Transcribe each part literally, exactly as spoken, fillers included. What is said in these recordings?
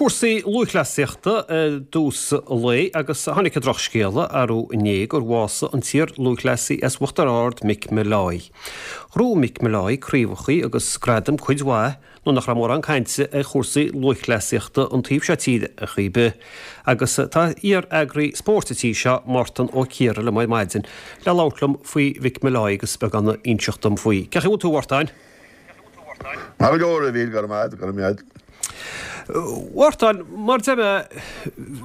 Cúrsaí lúthchleasaíochta i dtús an lae agus tháinig an drochscéala arú inné gur bhásaigh an t-iar-lúthchleasaí as Uachtar Ard Mick Molloy. Ghnóthaigh Mick Molloy craobhacha agus gradaim cuid mhaith nuair nach raibh mórán cainte ar chúrsaí lúthchleasaíochta an taobh seo tíre ar chaoi ar bith. Agus tá iar-eagraí spóirt an tí seo Mártan Ó Ciardha liom ar maidin le labhairt liom faoi Mhick Molloy agus beagán a inseacht dom faoi. Cén chaoi a bhfuil tú a Mhártáin? Maith go leor a Mhíl, go raibh maith, go raibh maith. Mhártáin, mar deir mé,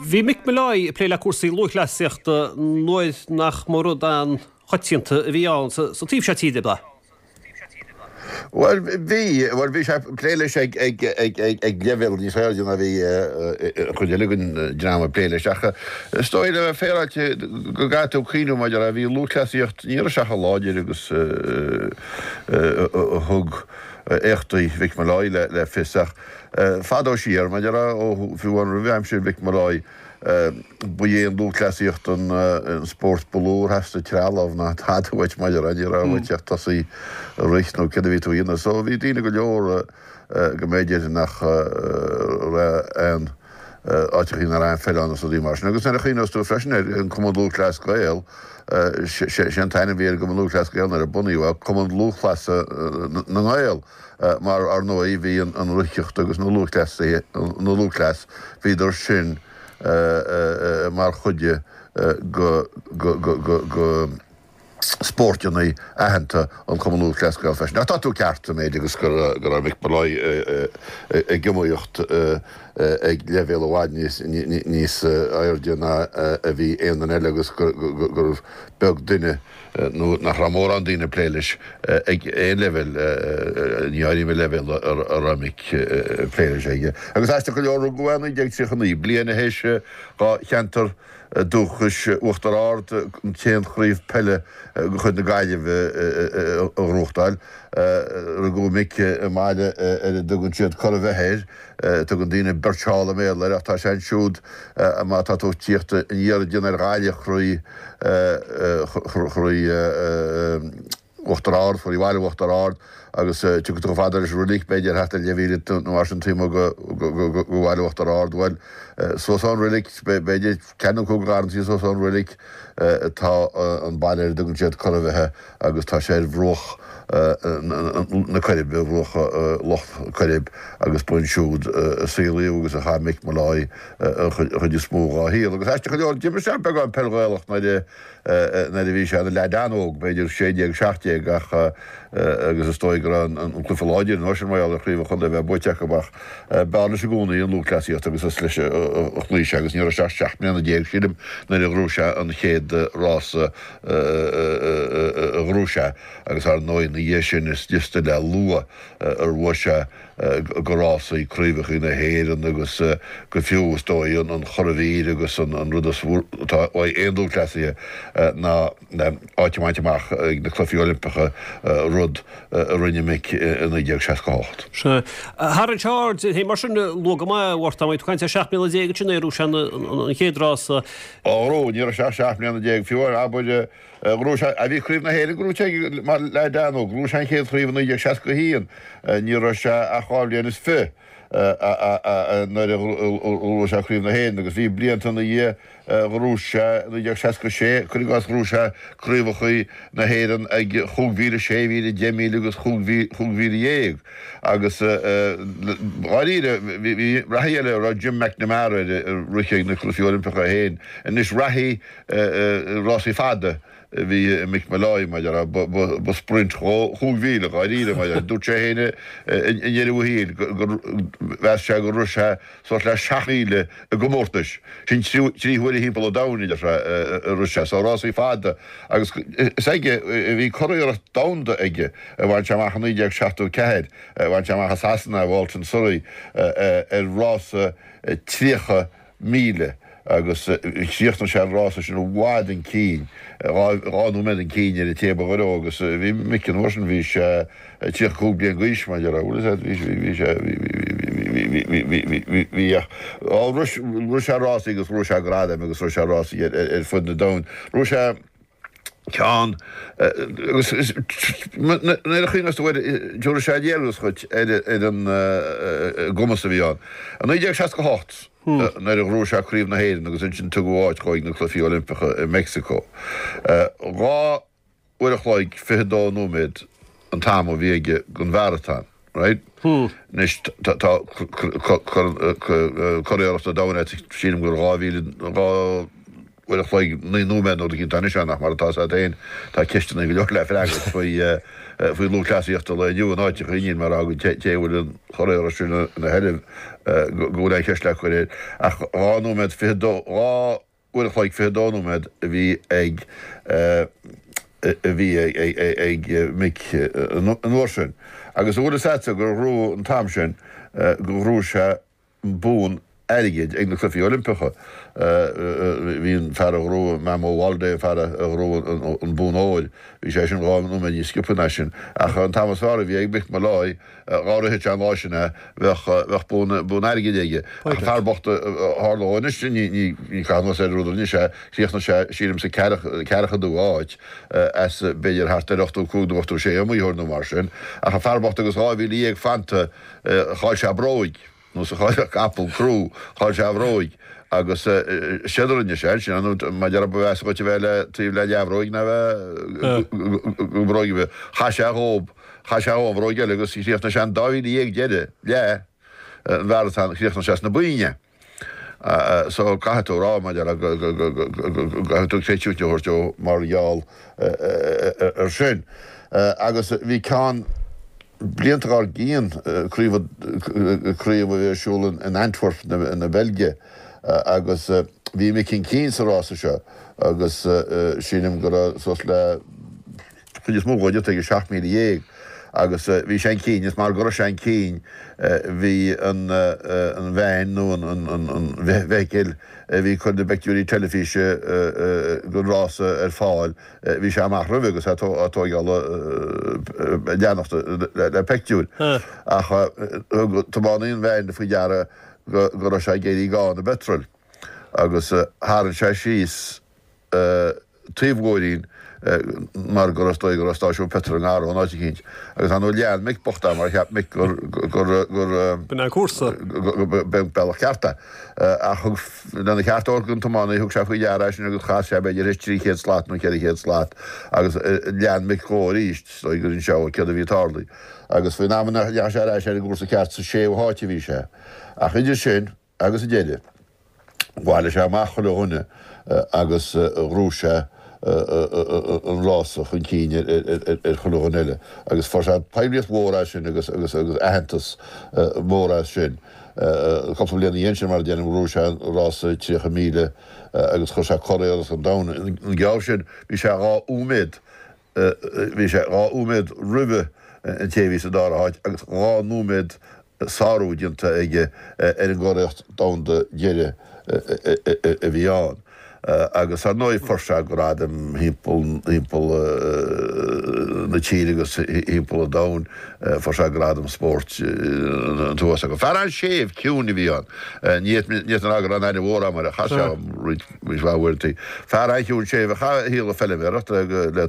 bhí Mick Molloy ag plé le cúrsaí lúthchleasaíochta nuair nach mba rud an-choitianta a bhí ann sa taobh seo tíre, ab ea? Bhuel bhí, bhuel bhí sé ag plé leis ag ag ag ag ag leibhéal níos airde ná bhí an chuid eile den dream ag plé leis ach is dóigh le bheith féaráilte go gcaithfidh tú cuimhniú maidir le bhí lúthchleasaíocht ní raibh sé chomh láidir agus a thug éachtaí Mhick Molloy le fios ach fadó siar, maidir le, ó fiú amháin roimh aimsir Mhick Molloy, ba é an lúthchleasaíocht an spórt ba lú ar theastaigh trealamh ná tada uait maidir le, ní raibh uait ach tosaí ag rith nó céard a bhí tú a dhéanamh. So bhí daoine go leor go mb'fhéidir nach raibh aon áiteachaí nach raibh aon pheil ann is rudaí mar sin. Agus nuair a chuimhneos tú freisin ar an Cumann Lúthchleas Gael, sé an t-ainm a bhí ar an gCumann Lúthchleas Gael nuair a bunaíodh é, Cumann Lúthchleasa na nGael, mar ar ndóigh bhí an reathaíocht agus na lúthchleasaithe, na lúthchleas, bhíodar sin mar chuid de go, go, go, go, go. spóirteanna aitheanta an Chumann Lúthchleas Gael freisin. Ach tá tú ceart sa méid agus go raibh Mick Molloy ag iomaíocht ag leibhéal i bhfad níos airde ná a bhí aon duine eile agus gurbh beag duine nó nach raibh mórán daoine ag plé leis ag aon leibhéal, ní áirím an leibhéal a raibh Mick ag plé leis aige. Agus aisteach go leor rugadh é i naoi déag tríocha naoi, bliain a théis dhá cheantar dúchais Uachtar Ard, an t-aon chraobh peile de chuid na Gaillimhe a ghnóthachtáil. Rugadh Mick i mbaile ar a dtugann siad Cora Bheithe air. Tugann daoine Birchall i mBéarla air ach tá sé ansiúd má tá tú ag tíocht aniar ag déanamh ar Ghaillimh thrí thrí Uachtar Ard, thrí bhaile Uachtar Ard agus tiocfaidh tú chomh fada leis an roilig, b'fhéidir thart ar leathmhíle nó mar sin taobh amuigh de bhaile Uachtar Ard. Bhuel, suas ón roilig, b'fhéidir ceathair nó cúig garrantaí suas ón roilig, tá an baile ar a dtugann siad Cora Bheithe agus tá sé ar bhruach na Coiribe, ar bhruach Loch Coirib agus ba ansiúd a saolaíodh agus a chaith Mick Molloy an chuid is mó dhá shaol. Agus aisteach go leor, d'imir sé beagán peil Ghaelach nuair a nuair a bhí sé ina leaid an-óg, b'fhéidir sé déag, seacht déag, ach agus is dóigh go raibh an cluiche láidir an uair sin mar gheall ar chraobh an chontae a bheith buaite acu ach b'fhearr leis i gcónaí an lúthchleasaíocht agus is leis a chloígh sé agus ní raibh sé ach seacht mbliana déag, sílim, nuair a ghnóthaigh sé an chéad rása a ghnóthaigh sé agus ar ndóigh ina dhiaidh sin is liosta le lua ar bhuaigh sé de rásaí craobhacha na hÉireann agus go fiú is dóigh an churadhmhír agus an rud is atá uaidh aon lúthchleasaithe ná áit a bhaint amach ag na Cluichí Oilimpeacha, rud a rinne Mick i naoi déag seasca a hocht. Sea. Tharraing sé aird air féin mar sin luath go maith, a Mhártáin, bhí tú ag caint ar seacht mbliana déag ansin nuair a ghnóthaigh sé an chéad rása. Ó, ní raibh sé ach seacht mbliana déag fiú, abair. Ghnóthaigh sé, bhí Craobh na hÉireann gnóthaithe aige mar leaid an-óg. Ghnóthaigh sé an chéad chraobh i naoi déag seasca a haon. Ní raibh sé ach dhá bhliain is fiche nuair a ghnóthaigh sé Craobh na hÉireann agus bhí blianta ina dhiaidh ghnóthaigh sé i naoi déag seasca a sé, cuir i gcás, ghnóthaigh sé craobhacha na hÉireann ag chúig mhíle, sé mhíle, deich míle agus chúig mhíle dhéag agus dháiríre bhí reathaí eile a raibh Jim McNamara air a rith ag na Cluichí Oilimpeacha féin. Anois reathaí rásaí fada a bhí i Mick Molloy mar a déarfá, ba sprint dhó chúig mhíle dháiríre mar a dúirt sé féin i ndeireadh a shaoil gur mheas sé gur rith sé suas le seacht míle i gcomórtais, sin trí huaire thimpeall an domhain a deir sé a rith sé, so rásaí fada agus is aige a bhí curiarracht domhanda aige a bhain sé amach i naoi déag seachtó ceathair, a bhain sé amach i Sasana, i Walton Surrey ar rása tríocha míle agus chríochnaigh sé an rása sin i bhfad chun cinn, dhá nóiméad chun cinn ar an té ba ghaire dhó agus bhí Mick an uair sin, bhí sé tríocha cúig bliain d'aois mar a déarfá, bhfuil a fhios agat, bhí sé, bhí sé, bhí, bhí, bhí, bhí, bhí, bhí, bhí ach rith, rith sé rásaí agus ghnóthaigh sé gradaim agus rith sé rásaí ar, ar fud na domhain. Rith sé. Ceann agus nuair a chuimhneos tú air tabharfaidh sé léargas dhuit ar an gcumas a bhí ann. I naoi déag seasca a hocht nuair a ghnóthaigh sé Craobh na hÉireann agus ansin tugadh áit dhó ag na Cluichí Oilimpeacha i Meicsiceo. Dhá uair a chloig fiche dó nóiméad an t-am a bhí aige don mharatón, right? Anois tá curiarracht an domhain sílim gur dhá mhíle dhá uair a chloig naoi nóiméad nó rud eicínt anois ann ach mar atá 's agat féin tá ceisteanna go leor le freagairt faoi faoi lúthchleasaíocht an lae inniu in áiteacha níl mé a rá go té a bhfuil an churiarracht sin ina sheilbh go bhfuil aon cheist le cur air ach dhá nóiméad fiche dó dhá uair a chloig fiche dó nóiméad a bhí ag a bhí ag Mick an uair sin agus an bhfuil 'fhios a'dsa gur ghnóthaigh an t-am sin go ghnóthaigh sé an bonn airgid ag na Cluichí Oilimpeacha. Bhí an fear a ghnóthaigh, Mamo Wolde, an fear a ghnóthaigh an bonn óir, bhí sé sin dhá nóiméad níos sciobtha ná sin. Ach an t-am is fearr a bhí ag Mick Molloy, dhá rithfeadh sé an lá sin é, bheadh bheadh bonn bonn airgid aige. Ach an fear bocht a tharla dhó anois, ní ní ní caitheamh anuas ar an rud a rinne sé, chríochnaigh sé, sílim, sa ceathracha-dú áit as b'fhéidir thart ar ochtó cúig nó ochtó sé iomaitheoir nó mar sin. Ach an fear bocht agus dhá mhíle dhéag fanta, chaill sé a bhróig. Nó sa chaillfeadh capall crú, chaill sé a bhróig agus séard a rinne sé ansin, nó mar a déarfá ba mheasa dhuit a bheith le taobh le leathbhróig ná bheith gan bhróig ar bith. Chaith sé dhób, chaith sé dhó an bhróig eile agus chríochnaigh sé an dá mhíle dhéag deiridh, leath an mharatón, chríochnaigh sé sna boinn é. So caithfidh tú a rá, mar a déarfá, go gcaithfidh tú creidiúint a thabhairt dó mar gheall ar sin. Agus bhí ceann blianta dár gcionn, craobh craobh a bhí ar siúl in Antwerp na Beilge agus bhí Mick chun cinn sa rása seo agus sílim go raibh suas le chuid is mó dhó déanta aige, seacht míle dhéag, agus bhí sé chun cinn is mar go raibh sé chun cinn bhí an an veain nó an an an bhfeithicil a bhí ag cur na bpictiúirí teilifíse den rása ar fáil bhí sé amach roimhe agus é á tóigeáil ag leanacht le pictiúir ach thug tiománaí an veain faoi deara go go raibh sé ag éirí gann i bpeitreal agus tharraing sé síos taobh-bhóithrín mar go raibh, is dóigh go raibh stáisiún peitril i ngar dó in áit eicínt. Agus ar ndóigh lean Mick bocht é mar cheap Mick gur, gur, gur, B'in é an cúrsa. b'é an bealach ceart é. Ach thug, lena cheart a thabhairt don tiománaí, thug sé faoi deara é sin agus chas sé b'fhéidir th'éis trí chéad slat nó ceithre chéad slat agus lean Mick dhó arís, is dóigh gur inis sé dó céard a bhí ag tarlú. Agus faoin am a ndeachaigh sé ar ais ar an gcúrsa ceart sa séú háit a bhí sé. Ach idir sin agus an deireadh, Bhailigh sé amach chuile dhuine agus ghnóthaigh sé an rása chun cinn ar chuile dhuine eile agus fuair sé poiblíocht mhór as sin agus agus agus aitheantas mór as sin. Cúpla bliain ina dhiaidh sin, mar a deirim, ghnóthaigh sé an rása tríocha míle agus chuir sé curiarracht an domhain. An geábh sin bhí sé dhá nóiméad bhí sé dhá nóiméad roimhe an té a bhí sa dara háit agus dhá nóiméad sárú déanta aige ar an gcuriarracht domhanda deiridh a bhí ann. Agus ar ndóigh fuair sé gradaim thimpeall thimpeall na tíre agus thimpeall an domhain, fuair sé gradam spóirt an t-uasal. Fear an-séimh ciúin a bhí ann. Ní fhéadfainn a rá go raibh aon aithne mhór agam air ach chas sé orm roinnt roinnt mhaith uaireanta. Fear an-chiúin séimh a chaith a shaol ag feilméaracht le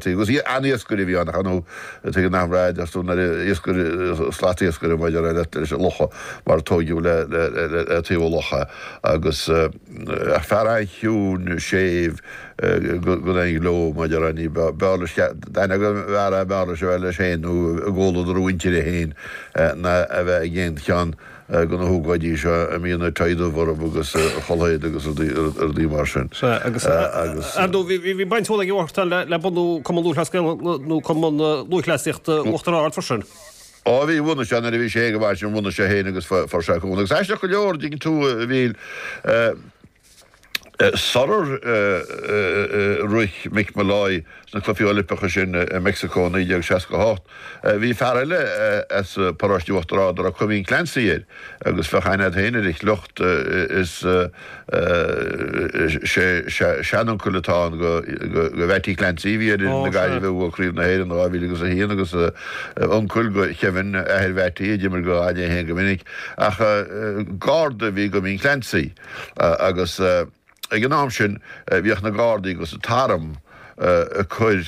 taobh agus an-iascaire a bhí ann ach ar ndóigh Tuigeann nach raibh as dún ar iascaire, slat iascaire maidir le leis an locha mar a tóigeadh le le taobh an locha agus fear an-chiúin séimh gan aon ghleo maidir le ní b'fhearr leis d'aithne go bhfear é b'fhearr leis a bheith leis féin nó i gcomhluadar a mhuintire féin ná a bheith ag aon cheann de na hócáidí seo a mbíonn an tie dubh orthu agus culaith éadaigh agus rudaí mar sin. Sea, agus ar ndóigh bhí baint mhór ag Mártan le bunú Cumann Lúthchleas Gael nó Cumann Lúthchleasaíochta Uachtar Ard freisin. Ó bhí, bhunaigh sé nuair a bhí sé ag an sin, bhunaigh sé féin agus fuair sé cúnamh. Agus aisteach go leor, dtuigeann tú, a Mhíl, Sular rith Mick Molloy sna Cluichí Oilimpeacha sin i Meicsiceo i naoi déag seasca a hocht, bhí fear eile as paróiste Uachtar Ard a raibh Cuimín Clancy air agus bheadh aithne agat féin ar a shliocht, is seanuncail atá ann do Mhattie Clancy a bhí ar fhoireann na Gaillimhe a bhuaigh Craobh na hÉireann dhá mhíle agus a haon agus uncail do Kevin, athair Mhattie, a d'imir do Ghaillimh féin go minic. Ach garda a bhí i gCuimín Clancy agus. Ag an am sin bhíodh na Gardaí agus an t-arm ag cur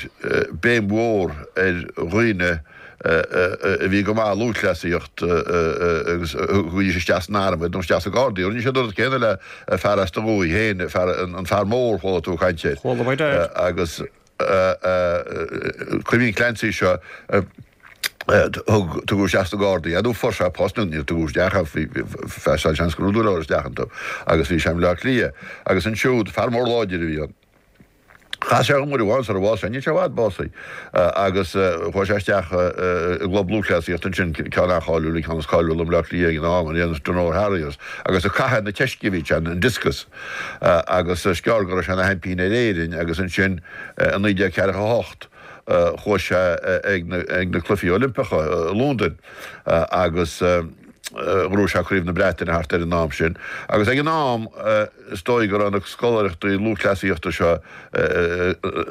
béim mhór ar dhaoine a bhí go maith i lúthchleasaíocht agus chuaigh isteach san arm nó isteach sna Gardaí. Rinne siad an rud céanna le fear as do dhúiche féin, an fear mór chuala tú ag caint air. Chuala muid air. Agus Caoimhín Clancy seo thug tugadh isteach sna Gardaí é nó fuair sé post nó níor tugadh isteach é bhí seans go raibh dúil isteach iontu agus bhí sé i mBleá Cliath agus ansiúd fear mór láidir a bhí ann. Chas sé dhom uair amháin sar a bhásaigh sé, níl sé i bhfad básaithe, agus chuaigh sé isteach i gclub lúthchleasaíochta ansin, ceann an-cháiliúil, an ceann is cáiliúla i mBleá Cliath ag an am, an Donore Harriers, agus ag caitheamh na teisce a bhí sé, an discus, agus is gearr go raibh sé ina sheaimpín ar Éirinn agus ansin i naoi déag ceathracha a hocht chuaigh sé ag na Cluichí Oilimpeacha i Londain agus ghnóthaigh sé Craobh na Breataine thart ar an am sin agus ag an am is dóigh go raibh na scoláireachtaí lúthchleasaíochta seo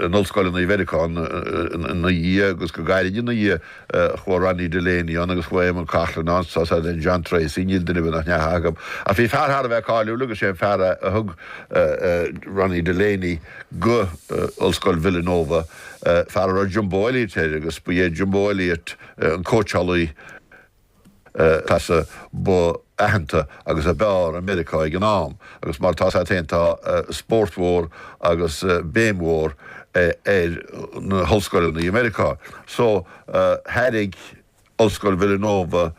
in ollscoileanna i Mheiriceá ina dhiaidh agus go gairid ina dhiaidh chuaigh Ronnie Delaney ann agus chuaigh Eamon Coghlan ann tá then John Treacy níl duine ar bith nach ndeachaigh acu ach bhí fear thar a bheith cáiliúil agus sé an fear a thug Ronnie Delaney go Ollscoil Villanova fear a raibh Jumbo Elliott air agus ba é Jumbo Elliott an cóitseálaí peile ba aitheanta agus ab fhearr i Meiriceá ag an am agus mar tá sé tá spórt mhór agus béim mhór ar na hollscoileanna i Meiriceá. So thairg Ollscoil Villanova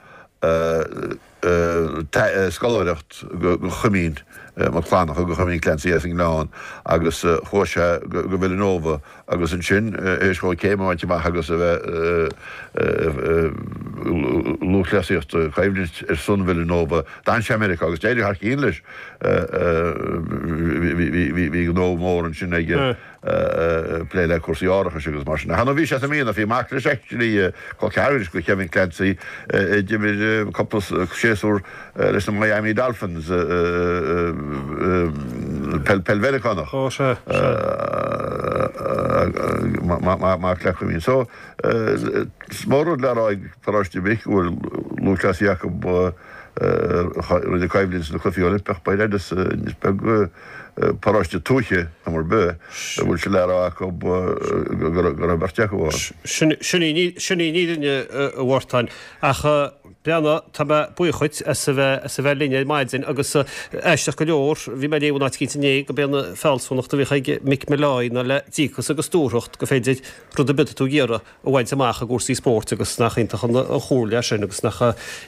scoláireacht go Chuimín Mac Fhlannchadha, go Chuimín Clancy as an nGleann agus chuaigh sé go Villanova agus ansin théis dhó céim a bhaint amach agus a bheith lúthchleasaíocht coimhlint ar son Villanova d'fhan sé i Meiriceá agus d'éirigh thar cionn leis. Bhí gnó mór ansin aige. plé le cúrsaí árachais agus mar sin. Nó bhí sé sa Mhianach, bhí mac leis actually col ceathrair go Kevin Clancy a d'imir cúpla séasúr leis na Miami Dolphins peil peil Mheiriceánach. Ó sea, sea. Mac le Cuimín. So is mór rud le rá ag Paróiste Mhic go bhfuil lúthchleasaí acu a rinne coimhlint sna Cluichí Oilimpeach b'fhéidir is beag paróiste tuaithe am ar bith a bhfuil sé le rá acu go raibh beirt acu ann. Sin í an fhírinne, a Mhártain. Ach breathnaigh, tá mé buíoch dhuit as a bheith as a bheith linn ar maidin agus aisteach go leor, bhí mé ag léamh in áit eicínt inné go b'é an fealsúnacht a bhíodh ag Mick Molloy ná le díocas agus dúthracht gur féidir rud ar bith atá tú ag iarraidh a bhaint amach i gcúrsaí spóirt agus nach iontach an chomhairle é sin agus nach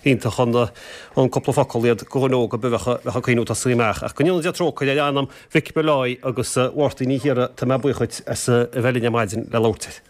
iontach an cúpla focal iad do dhuine óg ar bith a bheadh ag cuimhniú tosaí amach. Ach go ndéana Dia trócaire ar anam Mhick Molloy agus a Mháirtín Uí Chiardha, tá mé buíoch dhuit as a bheith linn ar maidin le labhairt air.